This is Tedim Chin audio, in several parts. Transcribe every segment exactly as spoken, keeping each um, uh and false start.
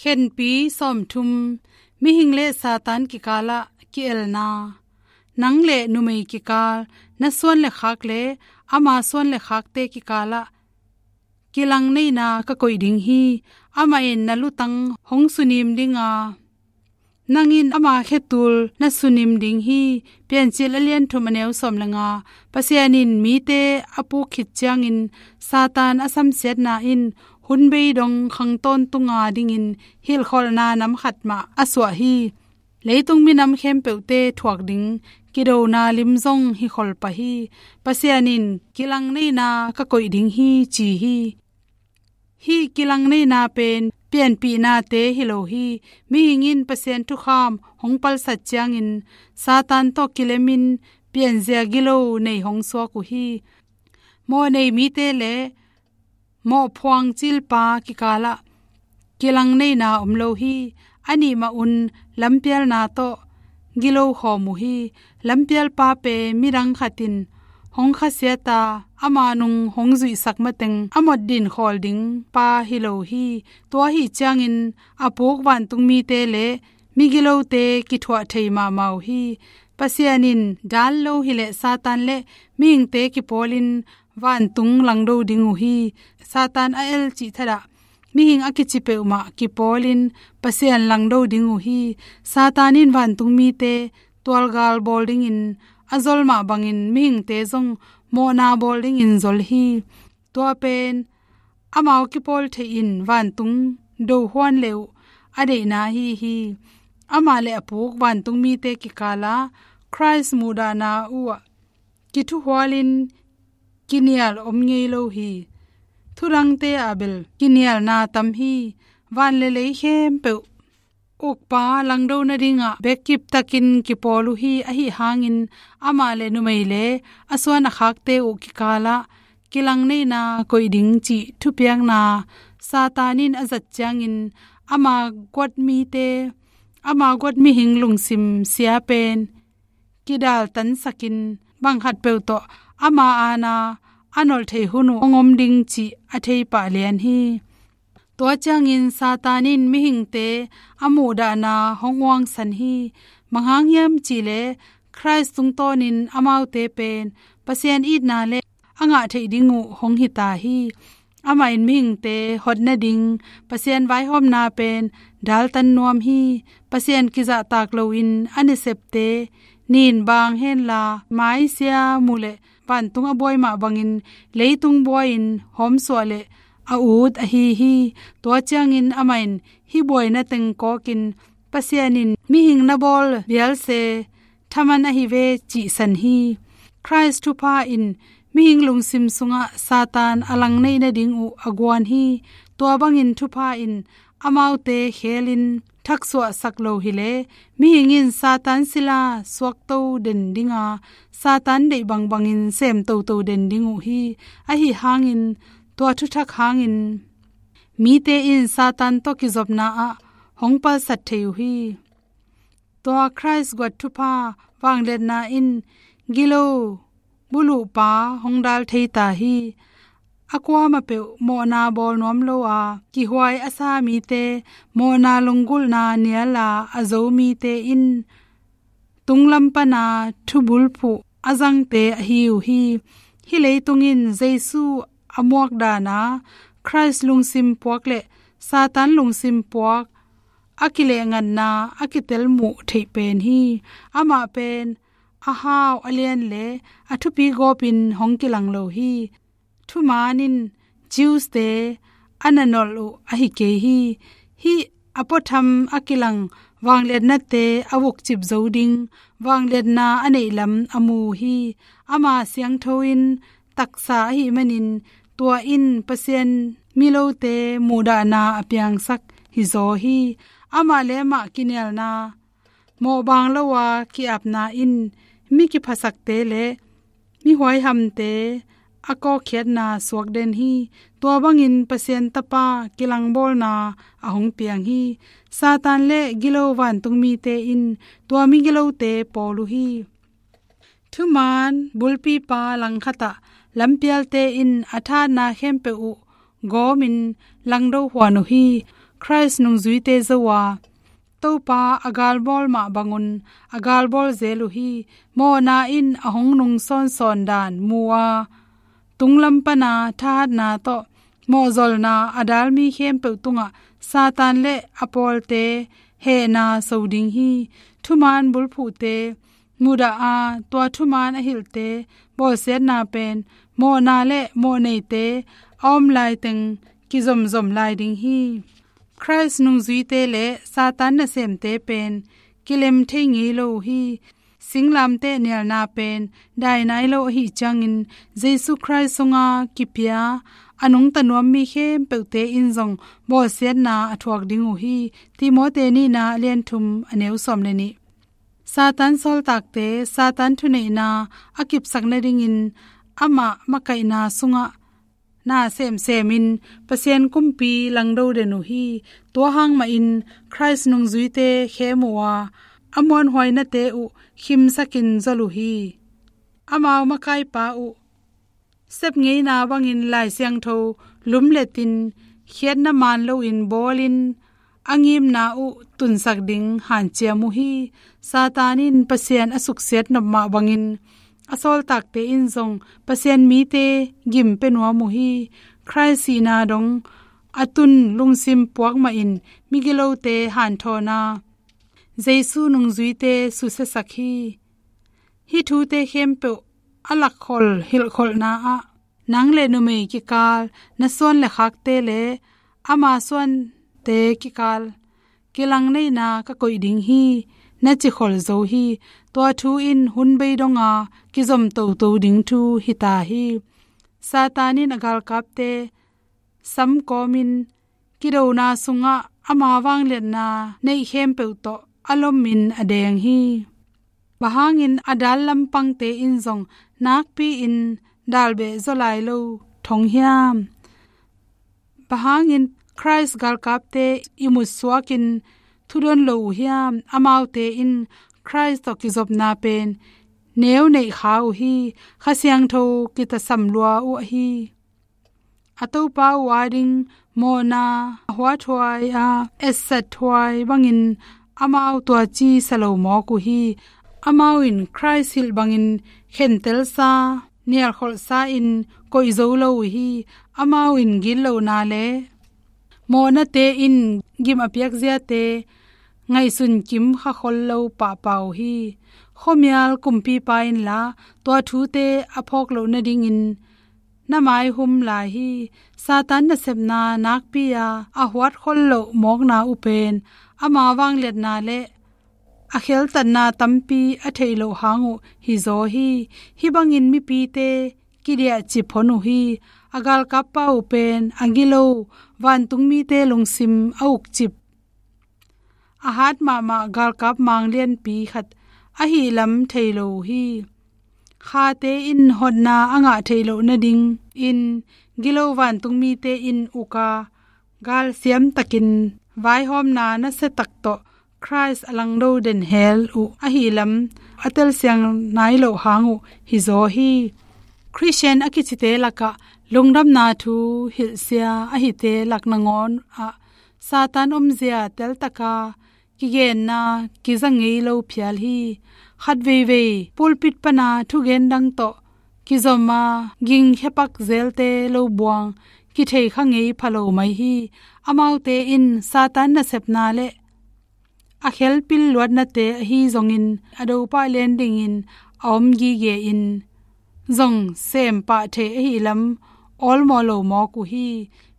Khenpi sawmthum. Mihing le Satan kikalah ki-elna. Nang le numei kikal, na suan le khak le ama suan le khakte kikalah kilangneina ka koih ding hi. Amah in na lutang hong sunim ding a, nang in ama khetul na sunim ding hi. Piancil a lian thum, a neu sawm le nga. Pasian in mite a puk khit ciangin Satan a samsiatna in hun bei dong khang tawntunga dingin hilhkholhna nam khat mah a suah hi. Leitung minam khempeuhte thuak ding kidona lim zong hi khol pah hi. Pasian in kilangneina ka koih ding hi, ci hi. Hih kilangneina pen pianpihnate hi lo hi. Mihing in Pasian thukham hong palsat ciangin Satan tawh kilemin pianzia gilo nei hong suak uh hi. Mawhnei mite le mawhphuang cilpa kikalah kilangneina om lo hi. A nih mah un lampialna tawh gilo khawm uh hi. Lampialpa pen midang khat in hong khasiat a, ama nung hong zuihsak mateng a mawt din khawl ding pa hi lo hi. Tua ahi ciangin a puk vantung mite le migilote kithuah thei mahmah uh hi. Pasian in dan lo hileh Satan le mihingte kipawlin vantung langdo ding uh hi. Satan a el cih thadah mihing a kici peuhmah kipawlin Pasian langdo ding uh hi. Satan in vantung mite tualgal bawl dingin a zol mah bangin mihingte zong mawhna bawl dingin zol hi. Tua pen amau kipawl theihin vantung do huan le uh a deihna ahi hi. Amah le a puk vantung mite kikala Khrist muhdahna uhah kithuhualin kinial om ngei lo hi. Thudangte ah bel kinialna tam hi. Van le lei khempeuh ukpa langdo nadingah bek kiptakin kipawl uh hi. Ahi hangin amah le numei le a suan a khakte uh kikalah kilangneina koih ding cih thupiakna Satan in a zat ciangin ama guat mite, ama guat mihing lungsim sia pen kidaltansakin bang khatpeuh tawh ama aana a nolh thei hun uh hong om ding cih a thei pah lian hi. Tua ciangin Satan in mihingte a muhdahna hong uangsan hi. Bang hang hiam cihleh Khrist tungtawnin amaute pen Pasian itna le a ngah theih ding uh hong hita hi. Amah in mihingte hot nading Pasian vaihawmna pen daltan nuam hi. Pasian kizahtak loin a nasepte nin bang henla maisia muh le vantung a buai mah bangin leitung buai-in hawmsuah le a ut ahi hi. Tua ciangin amah in hih buaina teng kawkin Pasian in mihing na bawl bialse thaman ahi ve cihsan hi. Khrist thupha in mihing lungsim sungah Satan a langneih nading uh a guan hi. Tua bangin thupha in amaute khelin thaksuahsak lo hileh mihing in Satan sila suakto den dinga Satan deih bangbangin sem toto den ding uh hi. Ahi hangin tua thuthak hangin mite in Satan tawh kizopna ah hong palsat thei uh hi. Tua Khrist guat thupha vangliatna in gilo buluhpa hong dal thei ta hi. A kuamah peuh mawhna bawl nuam lo a kihuai a sa mite, mawhna lunggulhna nial a a zo mite in tunglam pana thubulphuh a zangte ahi uh hi. Hih leitung in Jesu a muak dana Khrist lungsim puak le Satan lungsim puak a kilehngana a kitel muh theih pen hi. Amah pen a hau a lian le a thupi gawpin hong kilang lo hi. Thuman in Jews-te a na nolh uh ahi kei hi. Hih a puatham a kilang vangliatnate a vukcip zo ding vangliatna a neihlam a mu uh hi. Ama siangtho in taksa ahih manin tua in Pasian milote muhdahna a piangsak hizaw hi. Amah le amah kinialna mawhbang lo a ki-apna in mi kiphasakte le mi huaihamte a kawkkhiatna suak den hi. Tua bangin Pasian Tapa kilangbawlna a hong piang hi. Satan le gilo vantung mite in tua migilote pawl uh hi. Thuman bulpipa langkhatah lampialte in a thatna khempeuh uh gawmin langdo huan uh hi. Khrist nungzuite zo a, Topa a galbawl mah bangun a galbawl zel uh hi. Mawhna in a hong nungsawnsawn dan mu a, tunglam pana thahatna tawh mawhzolna a dal mi khempeuh tungah Satan le a pawlte hehna so ding hi. Thumaan bulphuhte mudah a, tua thumaan a hilhte bawlsiatna pen mawhna le mawhneite a om laiteng kizomzom lai ding hi. Khrist nungzuite le Satan nasemte pen kilem thei ngei lo uh hi. Singlamteh nialna pen dai nai lo ahih ciangin, Jesu Khrist sunga kipia a nungta nuam mi khempeuhte in zong bawlsiatna a thuak ding uh hi. Timote nihna a lian thum a neu sawm le nih. Satan sawltakte Satan thuneihna a kipsak nadingin amah makaihna sungah na semsemin Pasian kumpi langdo den uh hi. Tua hang mahin Khrist nungzuite khem uh a, a muanhuainate uh khimsakin zol uh hi. Amau makaipa uh sep ngeina bangin Lai Siangtho lumletin, khiatna maan loin bawlin, a ngimna uh tunsak ding hanciam uh hi. Satan in Pasian a suksiat nop mah bangin a sawltakte in zong Pasian mite gim pia nuam uh hi. Khrist sihna dong a tun lungsim puak mahin migilote hanthawna Jesu nungzuite susiasak hi. Hih thute khempeuh a lakkhol hilhkholhna ah, nang le numei kikal, na suan le khakte le ama suante kikal kilangneihna ka koih ding hi, na cikhol zo hi. Tua thu in hun bei donga kizom toto ding thu hita hi. Satan in a galkapte samkawmin kidona sungah ama vangliatna neih khempeuh tawh a lomin a deng hi. Bang hangin a dal lampangte in zong nakpi-in dalbeh zaw lai lo thong hiam? Bang hangin Khrist galkapte i mutsuakin thudon lo uh hiam? Amaute in Khrist tawh kizopna pen neu neih kha uh hi. Kha Siangtho kitasam lua uh ahi a Topa uh ading mawhna a huathuai a, etsathuai bangin amau tuaci sa lo mawk uh hi. Amau in Khrist hilh bangin khentelsa, nialkholhsa in koih zo lo uh hi. Amau in gitlohna le mawhnate in gim a piak ziate ngaihsun kim kha khol lo pahpah uh hi. Khuamial kumpipa inla tua thute a phawk loh nadingin na maihum lai hi. Satan nasepna nakpi-a a huatkhol loh mawkna uh pen ama vangliatna le a kheltatna tampi a theih loh hang uh hizaw hi. Hih bangin mipite kidiahcip hon uh hi. A galkappa uh pen a gilo vantungmite lungsim a ukcip, a hat mahmah galkap mang lianpi khat ahih lam thei lo uh hi. Khate in hotna a ngah theih loh nadingin gilo vantungmite in uka galsiam takin vaihawmna nasia tak tawh Khrist a langdo den hel uh ahih lam a telsiang nai loh hang uh hizaw hi. Khristian a kicite lakah lungdamna thu hilhsia ahite lak nangawn ah Satan omzia teltaka kigenna kiza ngei lo phial hi. Khatveivei pulpit pana thugen dang tawh kizoma gingkhiapak zelte lo buang kithei kha ngei pha lo mai hi. Amaute in Satan nasepna le a khelpil luatnate ahi zongin a dopah lian dingin a om gige in zong sempah thei ahih lam awlmawh lo mawk uh hi.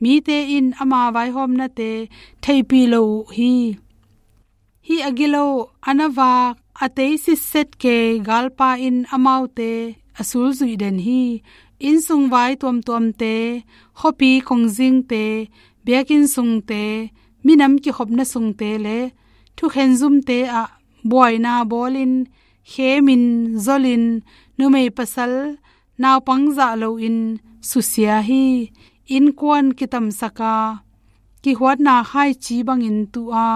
Mite in ama vaihawmnate theihpih lo uh hi. Hih a gilo, a na vak, a tei sitset kei galpa in amaute a sulzuih den hi. Innsung vai tuamtuamte, khuapi kongzingte, biakinn sungte, minam kikhopna sungte le thukhen zumte ah buaina bawlin, khemin, zolin, numei pasal naupang zah loin susia hi. Innkuan kitamsaka, kihuatna khaici bangin tu a,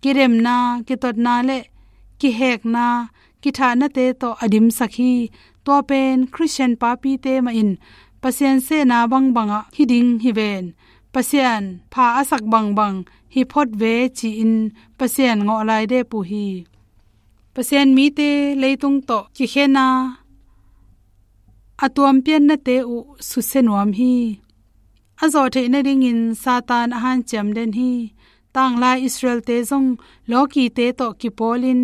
kidemna, kitotna le kihekna, kithahnate tawh a dimsak hi. Tua pen Khristian papite mahin Pasian sehna bangbangah hi ding hi ven. Pasian pha a sak bangbang hi phot ve ci-in Pasian ngawh lai dep uh hi. Pasian mite leitung tawh kikhen a, a tuampiannate uh susia nuam hi. A zawh theih nadingin Satan a hanciam den hi. Tanglai Israelte zong lawkite tawh kipawlin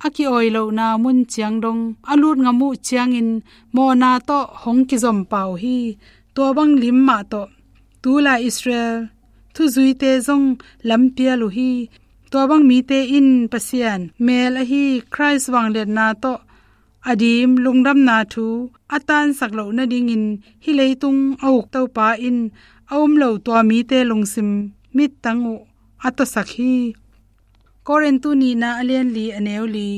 a ki-awi lohna mun ciang dong a lut ngam uh ciangin mawhna tawh hong kizom pah uh hi. Tua bang lim mah tawh tulai Israel thuzuite zong lampial uh hi. Tua bang mite in Pasian mel ahi Khrist vangliatna tawh a dim lungdamna thu a tansak loh nadingin hih leitung a uk Topa in a um lo tua mite lungsim mittang uh a tawsak hi. Korintu nihna a lian li a neu li.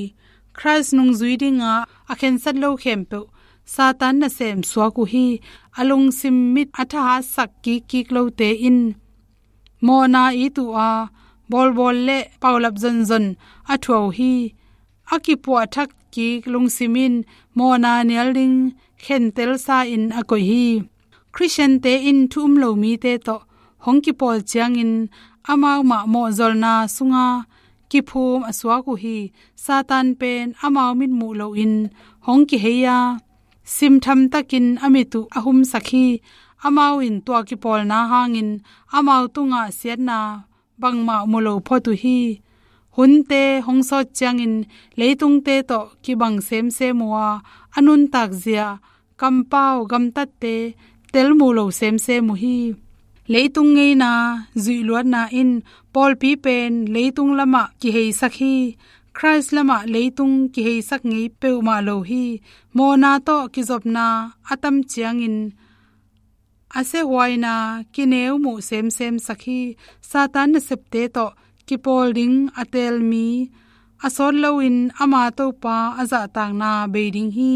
Khrist nungzui dinga a khensat lo khempeuh Satan nasem suak uh hi. A lungsim mit a thahatsak kikkik lote in mawhna it uh a, bawlbawl le paulap zonzon a thuah uh hi. A kipuahthak kik lungsim in mawhna nial ding khentelsa in a koih hi. Khristiante in thu um lo mite tawh hong kipawl ciangin amau mah mawhzolna sunga kiphum a suak uh hi. Satan pen amau mitmuh loin hong kihei a, simtham takin a mit uh a humsak hi. Amau in tua kipawlna hangin amau tungah siatna bangmah mu lo phot uh hi. Hunte hong sawt ciangin leitungte tawh kibang semsem uh a, a nuntak zia, kampau, gamtatte tel mu lo semsem uh hi. Leitung ngeina zuihluatna in pawlpi pen leitung lamah kiheisak hi. Khrist lamah leitung kiheisak ngei peuhmah lo hi. Mawhna tawh kizopna a tam ciangin a siahuaina kineu muh semsemsak hi. Satan nasepte tawh kipawl ding a teel mi a sawt loin ama Topa a zahtakna bei ding hi.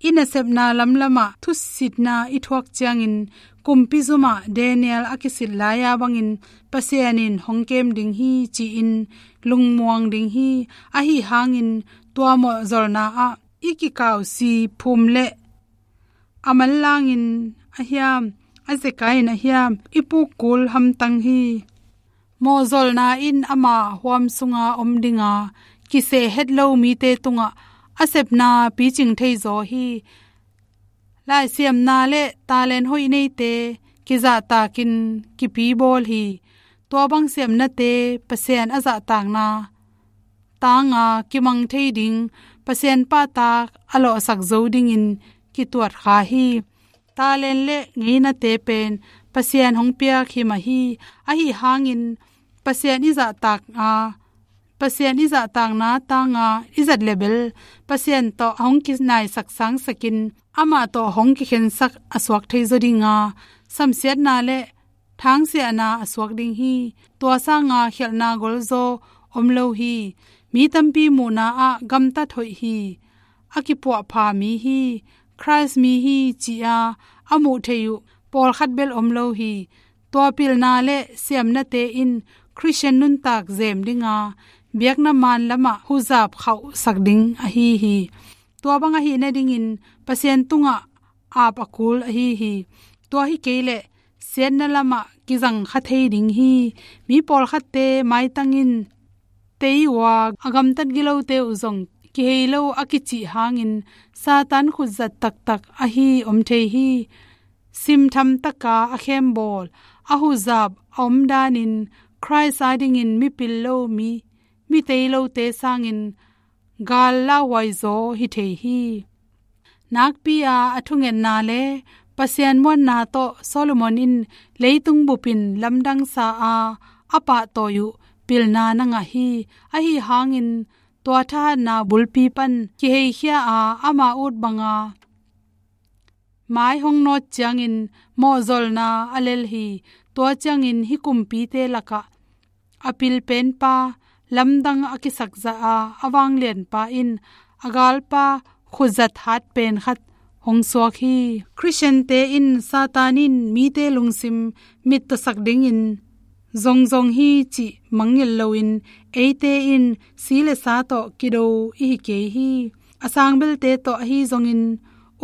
I nasepna lamlamah thusitna i thuak ciangin kumpi zumah Daniel a kisit lai-a bangin Pasian in hong kem ding hi ci-in lungmuang ding hi. Ahi hangin tua mawhzolna ah i kikausi phum le a manlangin a hiam, a zekai in a hiam, i pukkul hamtang hi. Mawhzolna in ama huam sunga om dinga kiseh het lo mite tungah a sepna picing thei zaw hi. Laisiamna le talent hoih neite kizahtakin kipibawl hi. Tua bang siamnate Pasian a zahtakna tanga kimang thei ding, Pasian pahtak a lawhsak zo dingin kituat kha hi. Talent le ngeinate pen Pasian hong piak hi mah hi. Ahi hangin Pasian i zahtak a, Pasian i zahtakna tanga i zat lebel Pasian tawh a hong kinaisak sangsakin amah tawh hong kikhensak a suak thei zaw dinga, samsiatna le thangsiahna a suak ding hi. Tua sanga khialhna golzaw om lo hi. Mi tampi muhna ah gamtat hoih hi. A kipuahpha mi hi. Khrist mi hi ci-a a muh thei uh pawlkhat bel om lo hi. Tua pilna le siamnate in Khristian nuntak zem dinga biakna man lamah huzap khauhsak ding ahi hi. Tua bang ahih nadingin Pasian tungah ap a kul ahi hi. Tua hi kei leh siatna lamah kizang kha thei ding hi. Mi pawlkhatte maitang in tei uh a, a gamtat gilote uh zong kihei lo a kicih hangin Satan khutzat taktak ahi om thei hi. Simtham taka a khembawl, a huzap a om danin Khrist a dingin mipil lo mi, mi tei lote sangin gal lauhuai zaw hi thei hi. Nakpi-a a thungetna le Pasian muanna tawh Solomon in leitung bupin lamdangsa a, a pahtawi uh pilna na ngah hi. Ahi hangin tua thahatna bulpi pan kiheikhia a, ama ut banga mai hong nawt ciangin mawhzolna a lel hi. Tua ciangin hih kumpite lakah a pilpenpa, lamdang a kisakzah a, a vanglianpa in a galpa khutzat hat pen khat hong suak hi. Khristiante in Satan in mite lungsim mittasak dingin zongzong hi cih mangngilh loin eite in si le sa tawh kido i hi kei hi. A sangbelte tawh ahi zongin,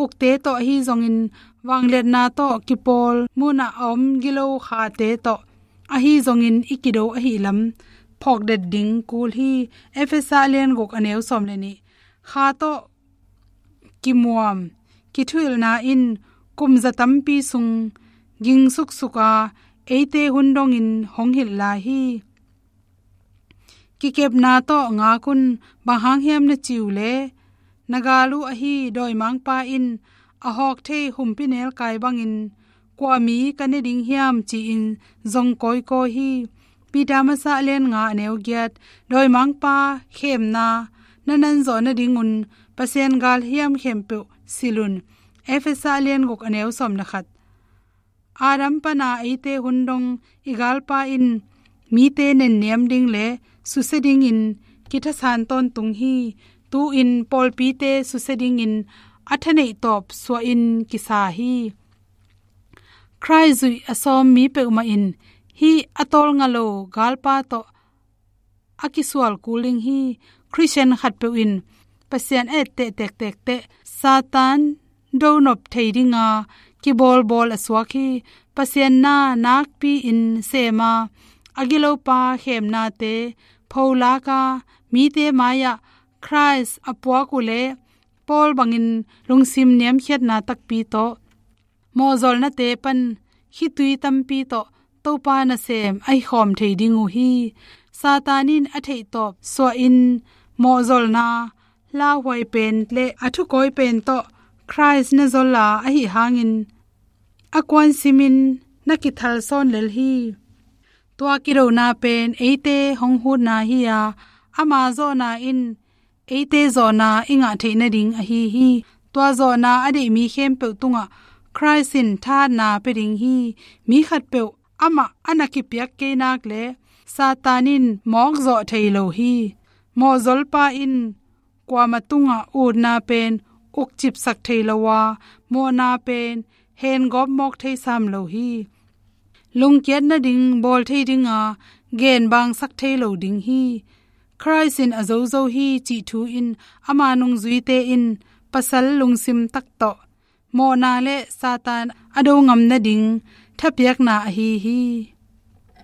ukte tawh ahi zongin, vangliatna tawh kipawl munah a om gilo khate tawh ahi zongin i kido ahi lam phawkdet ding kul hi. Efesa lian guk a neu sawm le nih. Kha tawh kimuam, kithuhilhna in kum za tampi sung ging suksuk a, eite hun dongin hong hilh lai hi. Kikepna tawh ngak un, bang hang hiam na ci uh leh, na gal uh ahi dawimangpa in a hawk thei humpinelkai bangin kua mi ka ne ding hiam ci-in zong kawikawi hi. Peter masa lian nga a neu giat. Dawimangpa khemna na nanzawh nadingun Pasian galhiam khempeuh silh un. Efesa lian guk a neu sawm le khat. Adam pana eite hun dong i galpa in mite nenniam ding le susia dingin kithasan tawntung hi. Tu-in pawlpite susia dingin a thaneih tawp suahin kisa hi. Khrih zuih a sawm mi peuhmah in hih a tawlnga lo galpa tawh a kisual kul ding hi. Khristian khatpeuh in Pasian a etteh tektek teh Satan donop thei dinga kibawlbawl a suak hi. Pasian na nakpi-in sema a gilopa khemnate pholaka mite mai-ah Khrih a puak uh leh Paul bangin lungsim niamkhiatna takpi tawh mawhzolnate pan khitui tampi tawh Topa nasem a hikhawm thei ding uh hi. Satan in a theihtawp suahin mawhzolna lauhuai pen le a thukawi pen tawh Khrih na zol a, ahi hangin a kuansimin na kithalsawn lel hi. Tua kidona pen eite hong hutna hi-a, ama zawhna in eite zawhna i ngah theih nading ahi hi. Tua zawhna a deih mi khempeuh tungah Khrih in thahatna pia ding hi. Mi khatpeuh amah a na kipiak kei nak le Satan in mawkzawh thei lo hi. Mawhzolpa in kuama tungah utna pen ukcipsak thei lo a, mawhna pen hengawp mawk thei sam lo hi. Lungkiat nading bawl thei dinga genbangsak thei lo ding hi. Khrih in a zozo hi cih thu in ama nungzuite in pasal lungsim tak tawh mawhna le Satan a do ngam nading thapiakna ahi hi.